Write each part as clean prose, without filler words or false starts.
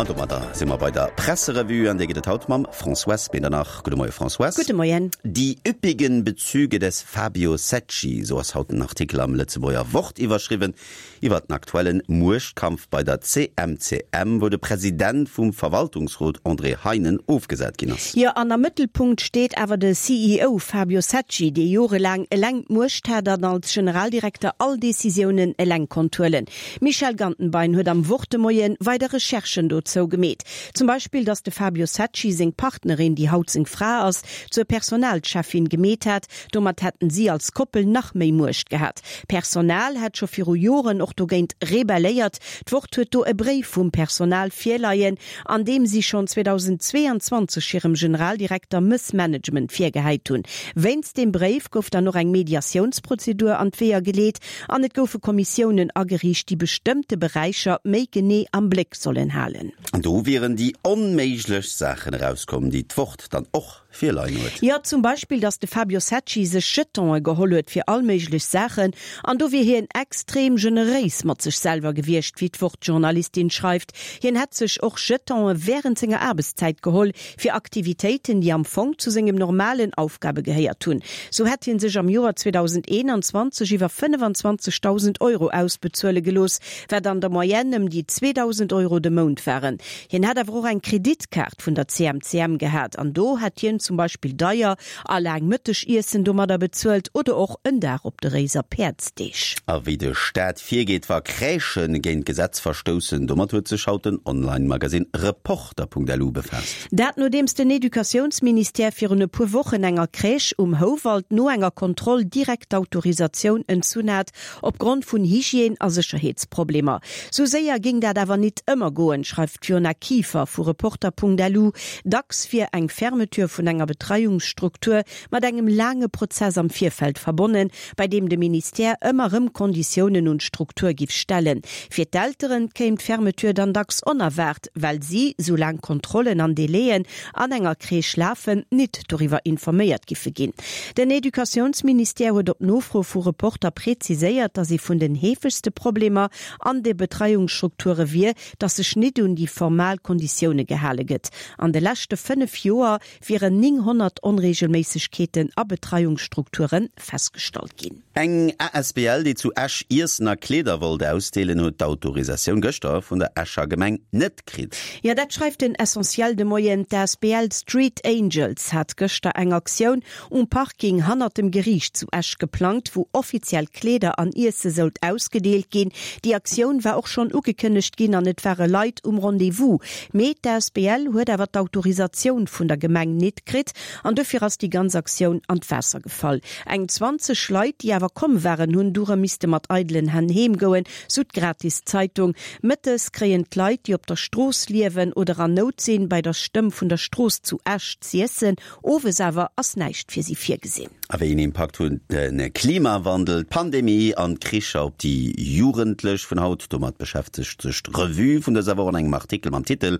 An domadder si mer bei der Presserevue, an déi gëtt et haut mam Françoise Medernach. Gudde Moie Françoise. Gudde Moien. Die üppigen Bezüge des Fabio Secci, sou ass haut den Artikel am Lëtzebuerger Wort iwwerschriwwen, iwwer den aktuellen Muechtkampf bei der CMCM, wou de President vum Verwaltungsrot André Heinen ofgesat ginn ass. Jo, an am Mëttelpunkt steet awer de CEO Fabio Secci, dee jorelaang eleng d'Muecht hat an als Generaldirekter all Decisiounen eleng konnt huelen. D'Michèle Gantenbein huet am Wort de Moien weider Recherchen dozou gemeet. Zum Beispill, datt de Fabio Secci seng Partnerin, déi haut seng Fra ass, zur Personalcheffin gemeet hat. Domat hätten si als Koppel nach méi Muecht gehat. D'Personal hätt scho viru Joren och dogéint rebelléiert. D'Wort huet do e Bréif vum Personal virleien, an deem si schonn 2022 hirem Generaldirekter Mëssmanagement virgehäit hunn. Wéinst deem Bréif gouf dann och eng Mediatiounsprozedur an d'Weeër geleet an et goufe Kommissiounen ageriicht, déi bestëmmte Beräicher méi genee am Bléck sollen halen. An do wieren déi onméiglechst Saachen erauskomm, déi d'Wort dann och virleien huet. Jo, zum Beispill, datt de Fabio Secci sech Jetonë geholl huet fir all méiglech Saachen, an do wier hien extrem generéis mat sech selwer gewiescht, wéi d'Wort-Journalistin schreift. Hien hätt sech och Jetonë wärend senger Aarbechtszäit geholl, fir Aktivitéiten, déi am Fong zu sengem normalen Aufgabe gehéiert hunn. Sou hätt hie sech am Joer 2021 iwwer 25.000 Euro ausbezuele gelooss, wat an der Moyenne ëm déi 2.000 Euro de Mount waren. Hien hätt awer och eng Kreditkaart vun der CMCM gehat an do hätt hien zum Beispill deier a laang Mëttegiessen domadder bezuelt oder och en Dag op de Réiser Päerdsdeeg. A wéi de Staat virgeet, wa Crèchë géint d'Gesetz verstoussen, domat huet sech haut den Online-Magasinn Reporter.lu befaasst. Dat nodeems den Educatiounsministère virun e puer Wochen enger Crèche um Houwald no enger Kontroll direkt d'Autorisatioun entzunn hat, opgrond vun Hygiène a Sécherheetsproblemer. Sou séier géing dat awer nit ëmmer goen, schreift d'Fiona Kieffer vu Reporter.lu. Dacks wier eng Fermeture vun enger Betreiungsstruktur mat engem laange Prozess am Virfeld verbonnen, bei deem de Ministère ëmmer rëm Konditiounen un d'Struktur giff stellen. Fir d'Elteren kéim d'Fermeture dann dacks onerwaart, well si, soulaang Kontrollen an Délaiën an enger Crèche lafen, nit doriwwer informéiert giffe ginn. Den Educatiounsministère huet op Nofro vu Reporter preziséiert, datt ee vun den heefegste Problemer an de Betreiungsstrukture wier, datt sech nit un déi formal Konditioune gehale gëtt. An de leschte 5 Joer wieren 900 Onreegelméissegkeeten a Betreiungsstrukture festgestallt ginn. Eng asbl, déi zu Esch Iessen a Kleeder wollt ausdeelen, huet d'Autorisatioun gëschter vun der Escher Gemeng net kritt. Jo, dat schreift den Essentiel de Moien. D'asbl Street Angels hat gëschter eng Aktioun um Parking hannert dem Geriicht zu Esch geplangt, wou offiziell Kleeder an Iesse sollt ausgedeelt ginn. Déi Aktioun war och schonn ugekënnegt ginn an et ware Leit um Rendez-vous. Mee d'asbl huet awer d'Autorisatioun vun der Gemeng nit kritt an dofir ass déi ganz Aktioun an d'Waasser gefall. Eng 20 Leit, déi awer komm waren, hunn du rëm misste mat eidelen Hänn heem goen, sou d'Gratiszeitung. Mëttes kréien d'Leit, déi op der Strooss liewen oder an Nout sinn, bei der Stëmm vun der Strooss zu Esch z'iessen. Owes awer ass näischt fir si virgesinn. A wéi een Impakt hunn de Klimawandel, d'Pandemie an d'Kricher op déi Jugendlech vun haut? Domat beschäftegt sech d'Revue vun dëser Woch an engem Artikel mam Titel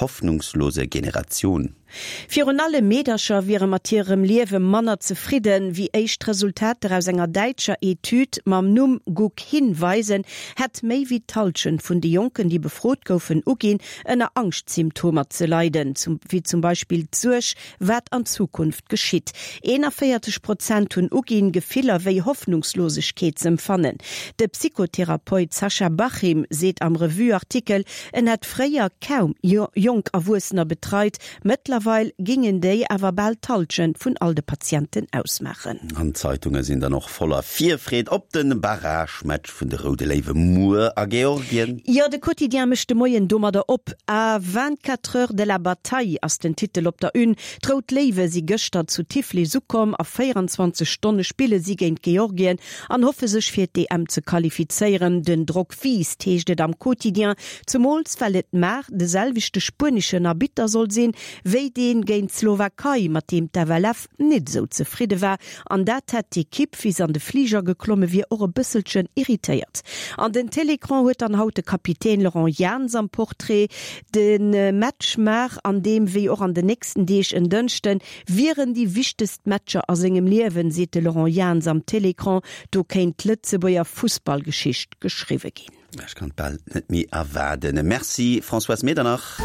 Hoffnungslose Generation. Virun allem Meedercher wiere mat hirem Liewe manner zefridden, wéi éischt Resultater aus enger däitscher Etüd mam Numm Guck hin weisen, hätt méi wéi d'Hallschent vun de Jonken, déi befrot goufen, uginn, ënner Angschtsymptomer ze leiden, wéi zum Beispill d'Suerg, wat an Zukunft geschitt. 41 Prozent hunn uginn, Gefiller wéi Hoffnungslosegkeet z'empfannen. De Psychotherapeut Sascha Bachim seet am Revue-Artikel, en hätt fréier kaum jonk Erwuessener betreit, mëttlerweil gingen déi awer bal d'Hallschent vun all de Patienten ausmaachen. An d'Zeitunge sinn dann och voller Virfreed op de Barragematch vun de Roude Léiwe muer a Georgien. Jo, de Quotidien mécht de Moien domadder op. À 24 heures de la bataille ass den Titel op der Une. D'Rout Léiwe si gëschter zu Tiflis ukomm. A 24 Stonne spille si géint Georgien an hoffe sech fir d'EM ze qualifizéieren. Den Drock wiisst, heescht et am Quotidien, zemools well et mar de selwechte spueneschen Arbitter soll sinn, wéi deen géint d'Slowakei, mat deem d'FLF nit esou zefridde war. An dat hätt d'Ekipp, wéi se an de Fliger geklomme wier, och e bësselchen irritéiert. An den Télécran huet dann haut de Kapitän Laurent Jans am Portrait. De Match mar, an deem wéi och an den nächsten Deeg en Dënschden, wieren déi wichtegst Matcher a sengem Liewen, seet de Laurent Jans am Télécran. Do kéint d'Lëtzebuerger Fussballgeschicht geschriwwe ginn. Ech kann et bal net méi erwaarden. Merci Françoise Medernach.